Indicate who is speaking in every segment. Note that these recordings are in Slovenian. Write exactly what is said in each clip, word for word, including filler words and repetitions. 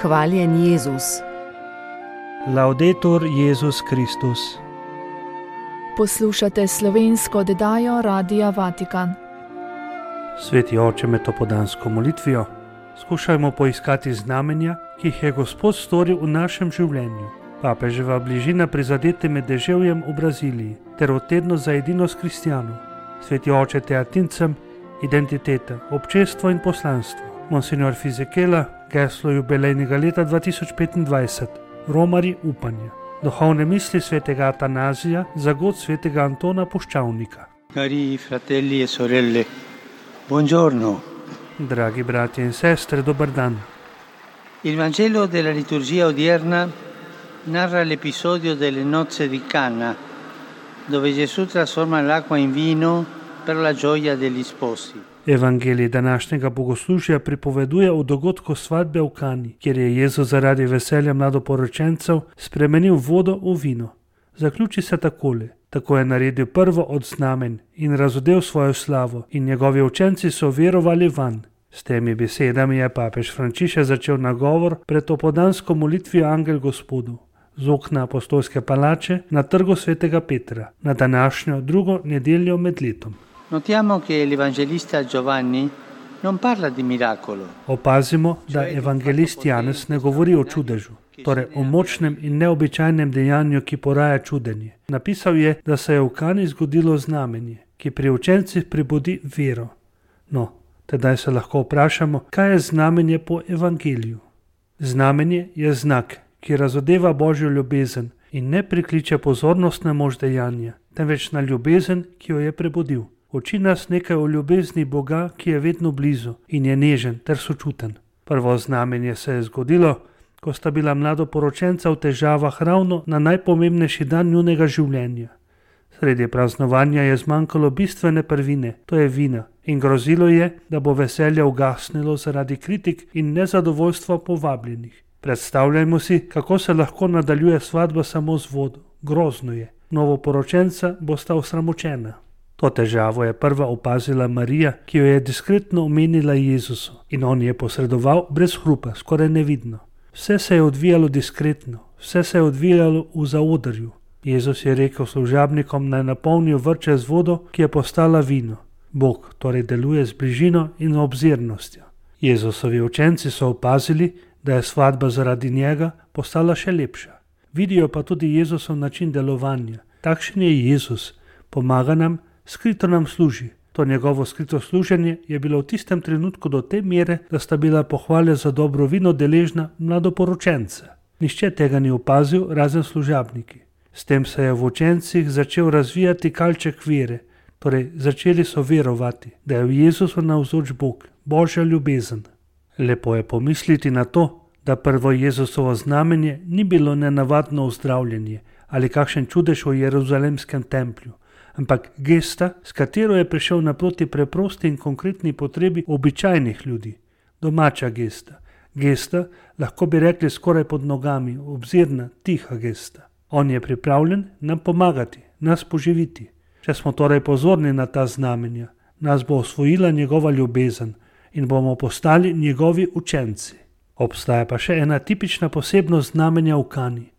Speaker 1: Hvaljen Jezus.
Speaker 2: Laudetur Jezus Kristus.
Speaker 3: Poslušate slovensko oddajo Radia Vatikan.
Speaker 2: Sveti oče, med topodansko molitvijo skušajmo poiskati znamenja, ki jih je Gospod storil v našem življenju. Papeževa bližina prizadete med deževjem v Braziliji ter v tednu za edinost kristijanov. Sveti oče, te atincem identiteta, občestvo in poslanstvo. Monsignor Fizekela, geslo jubilejnega leta dva tisoč petindvajset, Romari upanja. Duhovne misli svetega Atanazija za god svetega Antona Puščavnika.
Speaker 4: Cari fratelli e sorelle, buongiorno.
Speaker 2: Dragi bratje in sestre, dober dan.
Speaker 4: Il Vangelo della liturgia odierna narra l'episodio delle nozze di Cana, dove Gesù trasforma l'acqua in vino per la gioia degli sposi.
Speaker 2: Evangelij današnjega bogoslužja pripoveduje o dogodku svadbe v Kani, kjer je Jezus zaradi veselja mladoporočencev spremenil vodo v vino. Zaključi se takole: tako je naredil prvo od znamen in razodel svojo slavo in njegovi učenci so verovali vanj. S temi besedami je papež Frančišek začel nagovor pred topodansko molitvijo Angel Gospodu z okna apostolske palače na trgu svetega Petra na današnjo drugo nedeljo med letom.
Speaker 4: Notiamo che l'evangelista Giovanni non parla di miracolo.
Speaker 2: Opazimo, da evangelist Janez ne govori o čudežu, torej o močnem in neobičajnem dejanju, ki poraja čudenje. Napisal je, da se je v Kani zgodilo znamenje, ki pri učencih prebudi vero. No, tedaj se lahko vprašamo, kaj je znamenje po evangeliju. Znamenje je znak, ki razodeva Božjo ljubezen in ne prikliče pozornost na moč dejanja, temveč na ljubezen, ki jo je prebudil. Uči nas nekaj o ljubezni Boga, ki je vedno blizu in je nežen ter sočuten. Prvo znamenje se je zgodilo, ko sta bila mladoporočenca v težavah ravno na najpomembnejši dan njunega življenja. Sredi praznovanja je zmanjkalo bistvene prvine, to je vina, in grozilo je, da bo veselje ugasnilo zaradi kritik in nezadovoljstva povabljenih. Predstavljajmo si, kako se lahko nadaljuje svadba samo z vodo. Grozno je. Novoporočenca bosta osramočena. To težavo je prva opazila Marija, ki jo je diskretno omenila Jezusu, in on je posredoval brez hrupa, skoraj nevidno. Vse se je odvijalo diskretno, vse se je odvijalo v zaodrju. Jezus je rekel služabnikom, naj napolnijo vrče z vodo, ki je postala vino. Bog torej deluje z bližino in obzirnostjo. Jezusovi učenci so opazili, da je svadba zaradi njega postala še lepša. Vidijo pa tudi Jezusov način delovanja. Takšen je Jezus, pomaga nam, skrito nam služi. To njegovo skrito služenje je bilo v tistem trenutku do te mere, da sta bila pohvale za dobro vino deležna mladoporočenca. Nihče tega ni opazil, razen služabniki. S tem se je v učencih začel razvijati kalček vere, torej začeli so verovati, da je v Jezusu navzoč Bog, Božja ljubezen. Lepo je pomisliti na to, da prvo Jezusovo znamenje ni bilo nenavadno ozdravljenje ali kakšen čudež v Jeruzalemskem templju, ampak gesta, s katero je prišel naproti preprosti in konkretni potrebi običajnih ljudi. Domača gesta. Gesta, lahko bi rekli skoraj pod nogami, obzirna, tiha gesta. On je pripravljen nam pomagati, nas poživiti. Če smo torej pozorni na ta znamenja, nas bo osvojila njegova ljubezen in bomo postali njegovi učenci. Obstaja pa še ena tipična posebnost znamenja v Kani.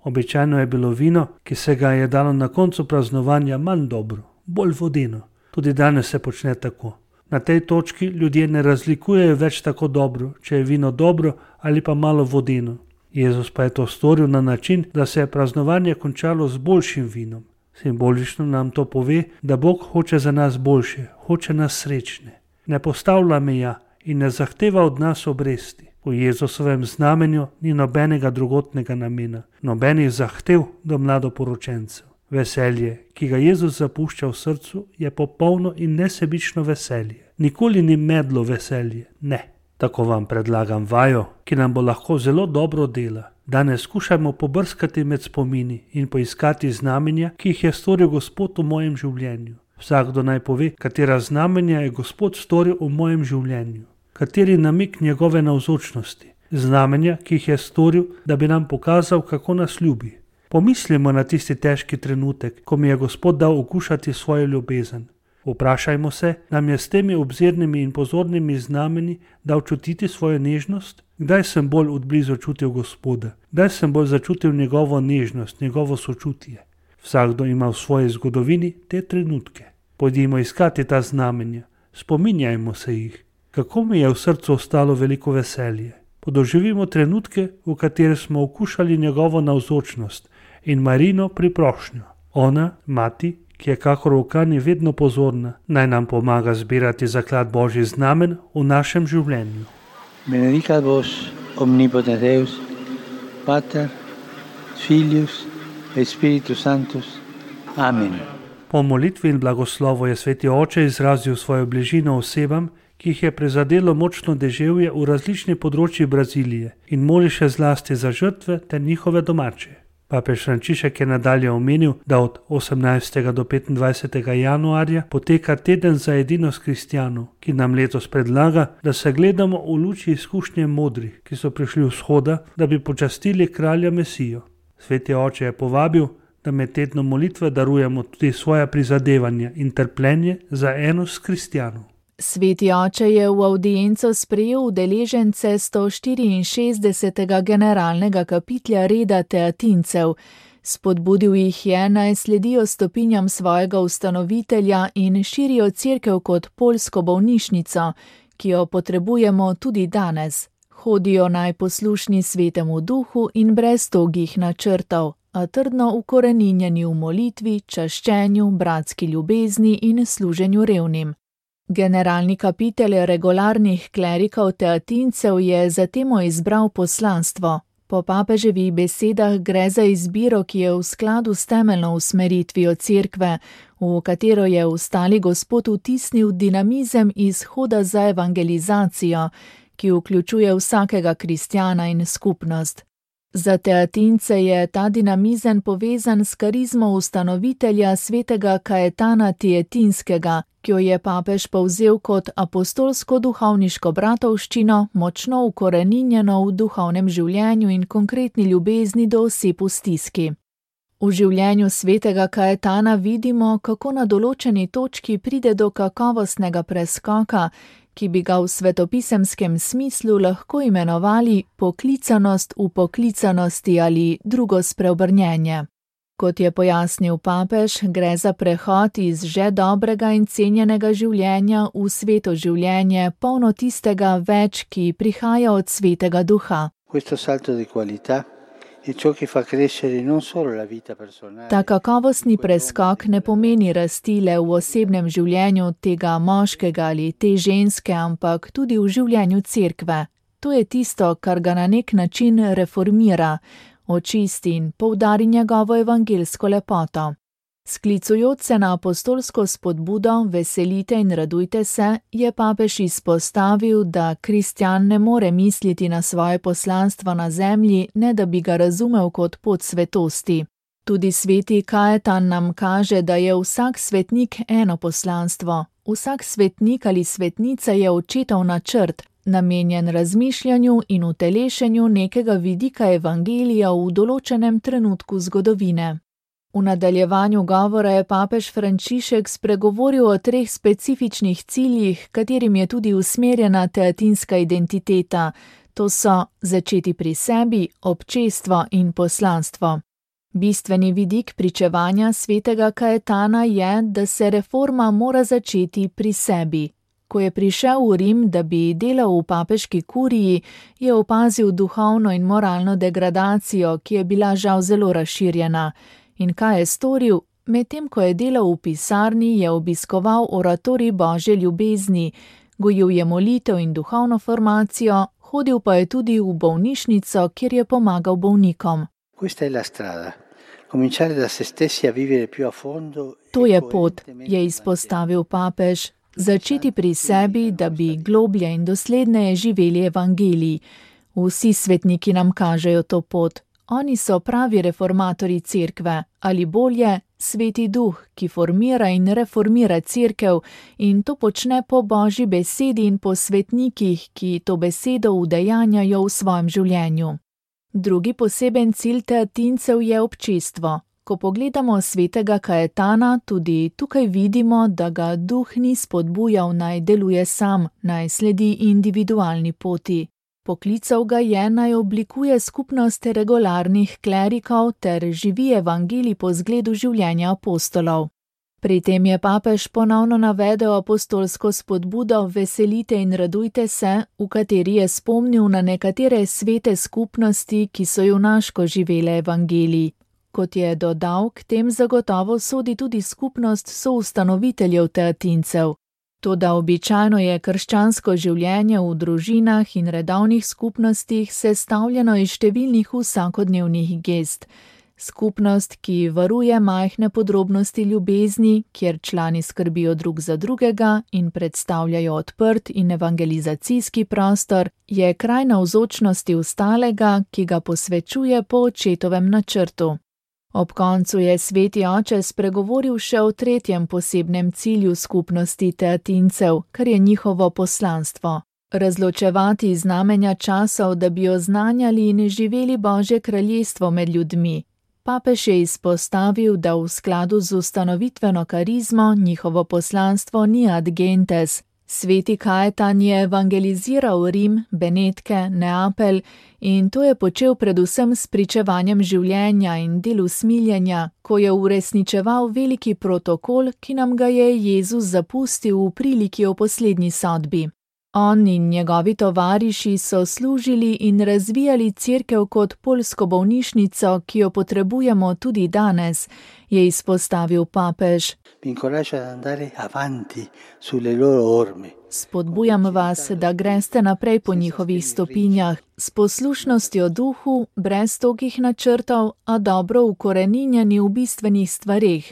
Speaker 2: Običajno je bilo vino, ki se ga je dalo na koncu praznovanja, manj dobro, bolj vodeno. Tudi danes se počne tako. Na tej točki ljudje ne razlikujejo več tako dobro, če je vino dobro ali pa malo vodeno. Jezus pa je to storil na način, da se je praznovanje končalo z boljšim vinom. Simbolično nam to pove, da Bog hoče za nas boljše, hoče nas srečne. Ne postavlja meja in ne zahteva od nas obresti. V Jezusovem znamenju ni nobenega drugotnega namena, nobenih zahtev do mladoporočencev. Veselje, ki ga Jezus zapušča v srcu, je popolno in nesebično veselje. Nikoli ni medlo veselje, ne. Tako vam predlagam vajo, ki nam bo lahko zelo dobro dela. Danes skušajmo pobrskati med spomini in poiskati znamenja, ki jih je storil Gospod v mojem življenju. Vsakdo naj pove, katera znamenja je Gospod storil v mojem življenju. Kateri namik njegove navzočnosti, znamenja, ki jih je storil, da bi nam pokazal, kako nas ljubi. Pomislimo na tisti težki trenutek, ko mi je Gospod dal okušati svojo ljubezen. Vprašajmo se, nam je s temi obzirnimi in pozornimi znameni dal čutiti svojo nežnost? Kdaj sem bolj odblizu čutil Gospoda? Kdaj sem bolj začutil njegovo nežnost, njegovo sočutje? Vsakdo ima v svoji zgodovini te trenutke. Pojdimo iskati ta znamenja, spominjajmo se jih. Kako mi je v srcu ostalo veliko veselje. Podoživimo trenutke, v katerih smo okušali njegovo navzočnost in Marino priprošnjo. Ona, mati, ki je kakor v Kani vedno pozorna, naj nam pomaga zbirati zaklad Božjih znamen v našem življenju.
Speaker 4: Benedicat vos omnipotens Deus, Pater, Filius et Spiritus Sanctus. Amen.
Speaker 2: Po molitvi in blagoslovu je sveti oče izrazil svojo bližino osebam, ki jih je prizadelo močno deževje v različnih področjih Brazilije in moli še zlasti za žrtve ter njihove domače. Papež Frančišek je nadalje omenil, da od osemnajstega do petindvajsetega januarja poteka teden za edinost kristjanov, ki nam letos predlaga, da se gledamo v luči izkušnje modrih, ki so prišli v vzhoda, da bi počastili kralja Mesijo. Sveti oče je povabil, da med tednom molitve darujemo tudi svoja prizadevanja in trpljenje za enost kristjanov.
Speaker 3: Sveti oče je v avdienco sprejel udeležence sto štiriinšestdesetega generalnega kapitlja reda teatincev. Spodbudil jih je, naj sledijo stopinjam svojega ustanovitelja in širijo cerkev kot poljsko bolnišnico, ki jo potrebujemo tudi danes. Hodijo naj poslušni svetemu duhu in brez togih načrtov, a trdno ukoreninjeni v molitvi, čaščenju, bratski ljubezni in služenju revnim. Generalni kapitelj regularnih klerikov teatincev je zatem izbral poslanstvo. Po papeževih besedah gre za izbiro, ki je v skladu s temeljno usmeritvijo cerkve, v katero je ustali Gospod vtisnil dinamizem izhoda za evangelizacijo, ki vključuje vsakega kristjana in skupnost. Za teatince je ta dinamizem povezan s karizmo ustanovitelja svetega Kajetana Tietinskega, ki jo je papež povzel kot apostolsko-duhovniško bratovščino, močno ukoreninjeno v duhovnem življenju in konkretni ljubezni do oseb v stiski. V življenju svetega Kajetana vidimo, kako na določeni točki pride do kakovostnega preskoka, ki bi ga v svetopisemskem smislu lahko imenovali poklicanost v poklicanosti ali drugo spreobrnjenje. Kot je pojasnil papež, gre za prehod iz že dobrega in cenjenega življenja v sveto življenje, polno tistega več, ki prihaja od svetega duha.
Speaker 4: Questo salto di qualità è ciò che fa crescere non solo la vita personale.
Speaker 3: Ta kakovostni preskok ne pomeni rasti le v osebnem življenju tega moškega ali te ženske, ampak tudi v življenju cerkve. To je tisto, kar ga na nek način reformira, očisti in poudari njegovo evangelsko lepoto. Sklicujoč se na apostolsko spodbudo veselite in radujte se, je papež izpostavil, da kristjan ne more misliti na svoje poslanstvo na zemlji, ne da bi ga razumel kot pot svetosti. Tudi sveti Kajetan nam kaže, da je vsak svetnik eno poslanstvo. Vsak svetnik ali svetnica je očetov načrt, namenjen razmišljanju in utelešenju nekega vidika evangelija v določenem trenutku zgodovine. V nadaljevanju govora je papež Frančišek spregovoril o treh specifičnih ciljih, katerim je tudi usmerjena teatinska identiteta. To so začeti pri sebi, občestvo in poslanstvo. Bistveni vidik pričevanja svetega Kajetana je, da se reforma mora začeti pri sebi. Ko je prišel v Rim, da bi delal v papeški kuriji, je opazil duhovno in moralno degradacijo, ki je bila žal zelo razširjena. In kaj je storil? Medtem ko je delal v pisarni, je obiskoval oratorij Božje ljubezni, gojil je molitev in duhovno formacijo, hodil pa je tudi v bolnišnico, kjer je pomagal bolnikom. To je pot, je izpostavil papež, začeti pri sebi, da bi globlje in dosledneje živeli evangelij. Vsi svetniki nam kažejo to pot. Oni so pravi reformatorji cerkve, ali bolje, sveti duh, ki formira in reformira cerkev in to počne po Božji besedi in po svetnikih, ki to besedo udejanjajo v svojem življenju. Drugi poseben cilj teatincev je občestvo. Ko pogledamo svetega Kajetana, tudi tukaj vidimo, da ga duh ni spodbujal naj deluje sam, naj sledi individualni poti. Poklical ga je, naj oblikuje skupnost regularnih klerikov ter živi evangelij po zgledu življenja apostolov. Pri tem je papež ponovno navedel apostolsko spodbudo Veselite in radujte se, v kateri je spomnil na nekatere svete skupnosti, ki so junaško živele evangelij. Kot je dodal, k tem zagotovo sodi tudi skupnost soustanoviteljev teatincev. Toda običajno je krščansko življenje v družinah in redovnih skupnostih sestavljeno iz številnih vsakodnevnih gest. Skupnost, ki varuje majhne podrobnosti ljubezni, kjer člani skrbijo drug za drugega in predstavljajo odprt in evangelizacijski prostor, je kraj navzočnosti ostalega, ki ga posvečuje po očetovem načrtu. Ob koncu je sveti oče spregovoril še o tretjem posebnem cilju skupnosti teatincev, kar je njihovo poslanstvo. Razločevati znamenja časov, da bi oznanjali in živeli Božje kraljestvo med ljudmi. Papež je izpostavil, da v skladu z ustanovitveno karizmo njihovo poslanstvo ni ad gentes. Sveti Kajetan je evangeliziral Rim, Benetke, Neapelj in to je počel predvsem s pričevanjem življenja in delu smiljenja, ko je uresničeval veliki protokol, ki nam ga je Jezus zapustil v priliki o poslednji sodbi. On in njegovi tovariši so služili in razvijali cerkev kot poljsko bolnišnico, ki jo potrebujemo tudi danes, je izpostavil papež. Spodbujam vas, da greste naprej po njihovih stopinjah, s poslušnostjo duhu, brez togih načrtov, a dobro ukoreninjeni v bistvenih stvareh.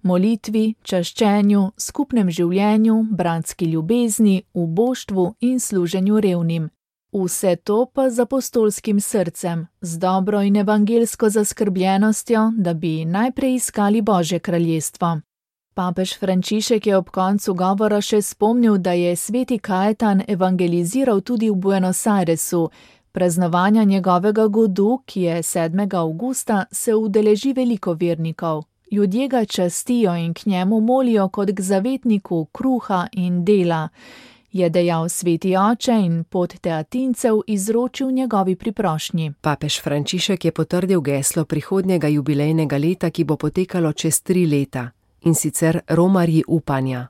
Speaker 3: Molitvi, čaščenju, skupnem življenju, bratski ljubezni, uboštvu in služenju revnim. Vse to pa z apostolskim srcem, z dobro in evangelsko zaskrbljenostjo, da bi najprej iskali Božje kraljestvo. Papež Frančišek je ob koncu govora še spomnil, da je sveti Kajetan evangeliziral tudi v Buenos Airesu. Praznovanja njegovega godu, ki je sedmega avgusta, se udeleži veliko vernikov. Ljudje ga častijo in k njemu molijo kot k zavetniku kruha in dela, je dejal sveti oče in pot teatincev izročil njegovi priprošnji.
Speaker 1: Papež Frančišek je potrdil geslo prihodnjega jubilejnega leta, ki bo potekalo čez tri leta, in sicer Romarji upanja.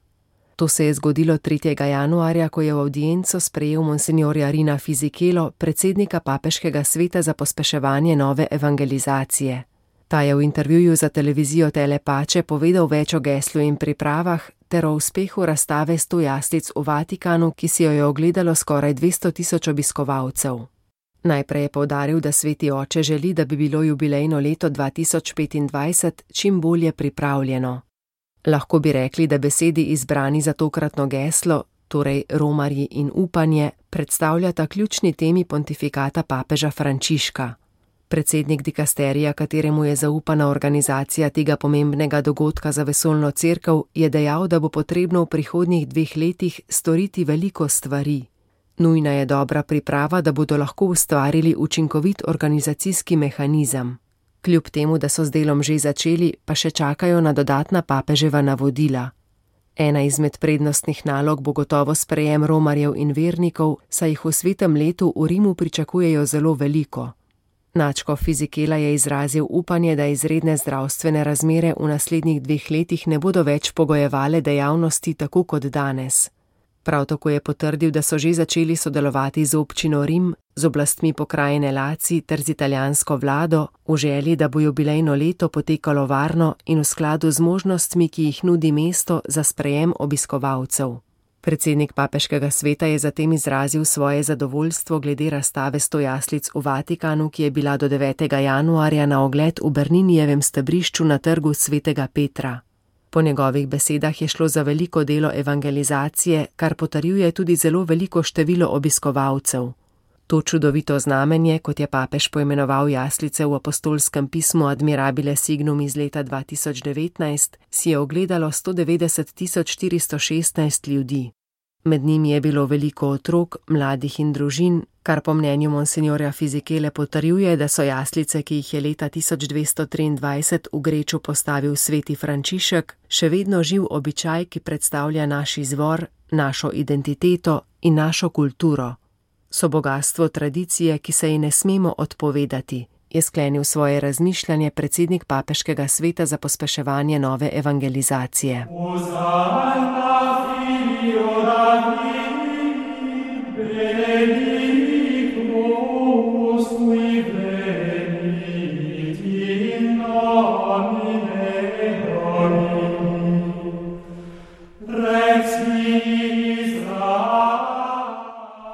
Speaker 1: To se je zgodilo tretjega januarja, ko je v avdienco sprejel monsinjorja Rina Fisichelo, predsednika papeškega sveta za pospeševanje nove evangelizacije. Ta je v intervjuju za televizijo Telepače povedal več o geslu in pripravah ter o uspehu razstave sto jaslic v Vatikanu, ki si jo je ogledalo skoraj dvesto tisoč obiskovalcev. Najprej je poudaril, da sveti oče želi, da bi bilo jubilejno leto dva tisoč petindvajset čim bolje pripravljeno. Lahko bi rekli, da besedi izbrani za tokratno geslo, torej Romarji in upanje, predstavljata ključni temi pontifikata papeža Frančiška. Predsednik dikasterija, kateremu je zaupana organizacija tega pomembnega dogodka za vesoljno cerkev, je dejal, da bo potrebno v prihodnjih dveh letih storiti veliko stvari. Nujna je dobra priprava, da bodo lahko ustvarili učinkovit organizacijski mehanizem. Kljub temu, da so z delom že začeli, pa še čakajo na dodatna papeževa navodila. Ena izmed prednostnih nalog bo gotovo sprejem romarjev in vernikov, saj jih v svetem letu v Rimu pričakujejo zelo veliko. Nadškof Fisichela je izrazil upanje, da izredne zdravstvene razmere v naslednjih dveh letih ne bodo več pogojevale dejavnosti tako kot danes. Prav tako je potrdil, da so že začeli sodelovati z občino Rim, z oblastmi pokrajine Laci ter z italijansko vlado v želji, da bo jubilejno leto potekalo varno in v skladu z možnostmi, ki jih nudi mesto za sprejem obiskovalcev. Predsednik papeškega sveta je zatem izrazil svoje zadovoljstvo glede razstave sto jaslic v Vatikanu, ki je bila do devetega januarja na ogled v Berninijevem stebrišču na trgu svetega Petra. Po njegovih besedah je šlo za veliko delo evangelizacije, kar potrjuje tudi zelo veliko število obiskovalcev. To čudovito znamenje, kot je papež poimenoval jaslice v apostolskem pismu Admirabile Signum iz leta dva tisoč devetnajst, si je ogledalo sto devetdeset tisoč štiristo šestnajst ljudi. Med njimi je bilo veliko otrok, mladih in družin, kar po mnenju monsinjorja Fisichele potrjuje, da so jaslice, ki jih je leta tisoč dvesto triindvajset v Greču postavil sveti Frančišek, še vedno živ običaj, ki predstavlja naš izvor, našo identiteto in našo kulturo. so bogastvo tradicije, ki se ji ne smemo odpovedati, je sklenil svoje razmišljanje predsednik Papeškega sveta za pospeševanje nove evangelizacije.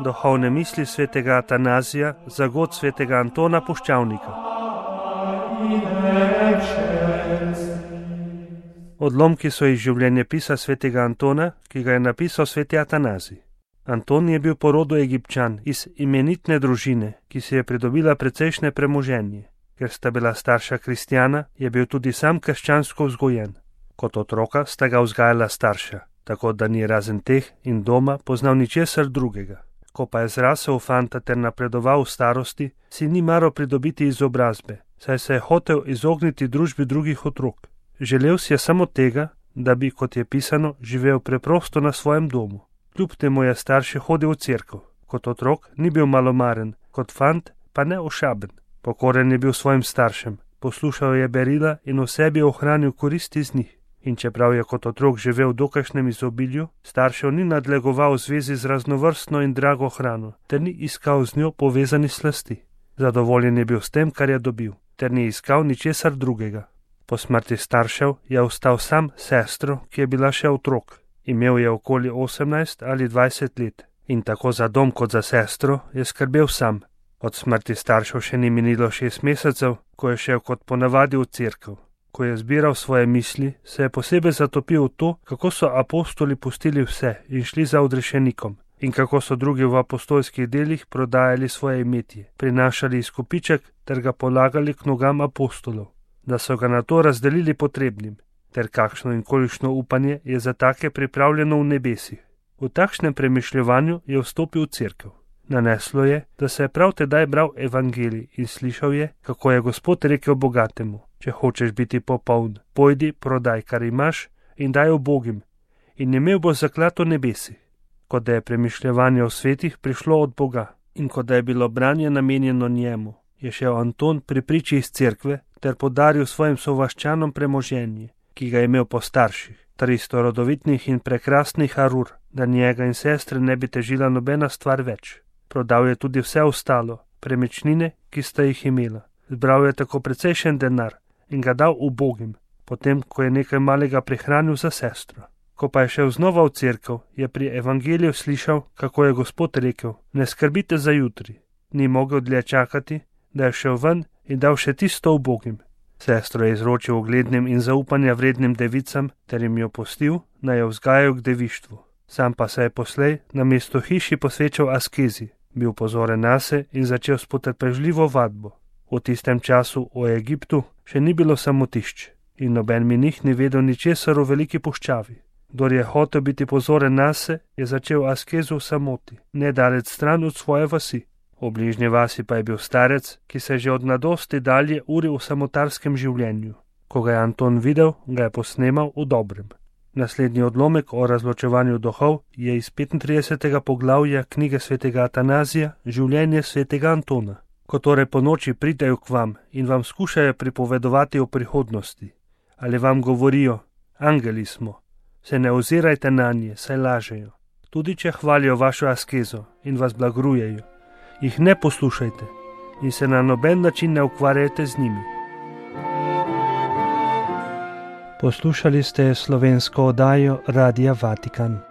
Speaker 2: Duhovne misli svetega Atanazija za god svetega Antona Puščavnika. Odlomki so iz življenjepisa svetega Antona, ki ga je napisal sveti Atanazij. Anton je bil po rodu Egipčan iz imenitne družine, ki si je pridobila precejšnje premoženje. Ker sta bila starša kristjana, je bil tudi sam krščansko vzgojen. Kot otroka sta ga vzgajala starša, tako da ni razen teh in doma poznal ničesar drugega. Ko pa je zrasel v fanta ter napredoval v starosti, si ni maral pridobiti izobrazbe, saj se je hotel izogniti družbi drugih otrok. Želel si je samo tega, da bi, kot je pisano, živel preprosto na svojem domu. Kljub temu je starši hodil v cerkev. Kot otrok ni bil malomaren, kot fant pa ne ošaben. Pokoren je bil svojim staršem, poslušal je berila in v sebi ohranil koristi z njih. In čeprav je kot otrok živel v dokajšnjem izobilju, staršev ni nadlegoval v zvezi z raznovrstno in drago hrano, ter ni iskal z njo povezanih slasti. Zadovoljen je bil s tem, kar je dobil, ter ni iskal ničesar drugega. Po smrti staršev je ostal sam s sestro, ki je bila še otrok. Imel je okoli osemnajst ali dvajset let in tako za dom kot za sestro je skrbel sam. Od smrti staršev še ni minilo šest mesecev, ko je šel kot ponavadi v cerkev. Ko je zbiral svoje misli, se je posebej zatopil v to, kako so apostoli pustili vse in šli za odrešenikom in kako so drugi v apostolskih delih prodajali svoje imetje, prinašali izkupiček ter ga polagali k nogam apostolov, da so ga nato razdelili potrebnim, ter kakšno in kolikšno upanje je za take pripravljeno v nebesih. V takšnem premišljevanju je vstopil v cerkev. Naneslo je, da se je prav tedaj bral evangelij in slišal je, kako je Gospod rekel bogatemu: če hočeš biti popoln, pojdi, prodaj, kar imaš, in daj ubogim, in imel boš zaklad v nebesih. Kot da je premišljevanje o svetih prišlo od Boga in kot da je bilo branje namenjeno njemu, je šel Anton pri priči iz cerkve ter podaril svojim sovaščanom premoženje, ki ga je imel po starših, tristo rodovitnih in prekrasnih arur, da njega in sestre ne bi težila nobena stvar več. Prodal je tudi vse ostalo, premičnine, ki sta jih imela. Zbral je tako precejšen denar in ga dal ubogim, potem ko je nekaj malega prihranil za sestro. Ko pa je šel znova v cerkev, je pri evangeliju slišal, kako je Gospod rekel: ne skrbite za jutri. Ni mogel dlje čakati, da je šel ven in dal še tisto ubogim. Sestro je izročil uglednim in zaupanja vrednim devicam ter jim jo pustil, naj jo vzgajajo k devištvu. Sam pa se je poslej na mesto hiši posvečal askezi, bil pozoren nase in začel s potrpežljivo vadbo. V tistem času v Egiptu še ni bilo samotišč in noben menih ni vedel ničesar o veliki puščavi. Kdor je hotel biti pozoren nase, je začel askezo v samoti, nedalec stran od svoje vasi. V bližnji vasi pa je bil starec, ki se že od mladosti dalje uril v samotarskem življenju. Ko ga je Anton videl, ga je posnemal v dobrem. Naslednji odlomek o razločevanju duhov je iz petintridesetega poglavja knjige svetega Atanazija Življenje svetega Antona. Ko torej po noči pridejo k vam in vam skušajo pripovedovati o prihodnosti, ali vam govorijo: angeli smo, se ne ozirajte nanje, saj lažejo. Tudi če hvalijo vašo askezo in vas blagrujejo, jih ne poslušajte in se na noben način ne ukvarjajte z njimi.
Speaker 5: Poslušali ste slovensko oddajo Radia Vatikan.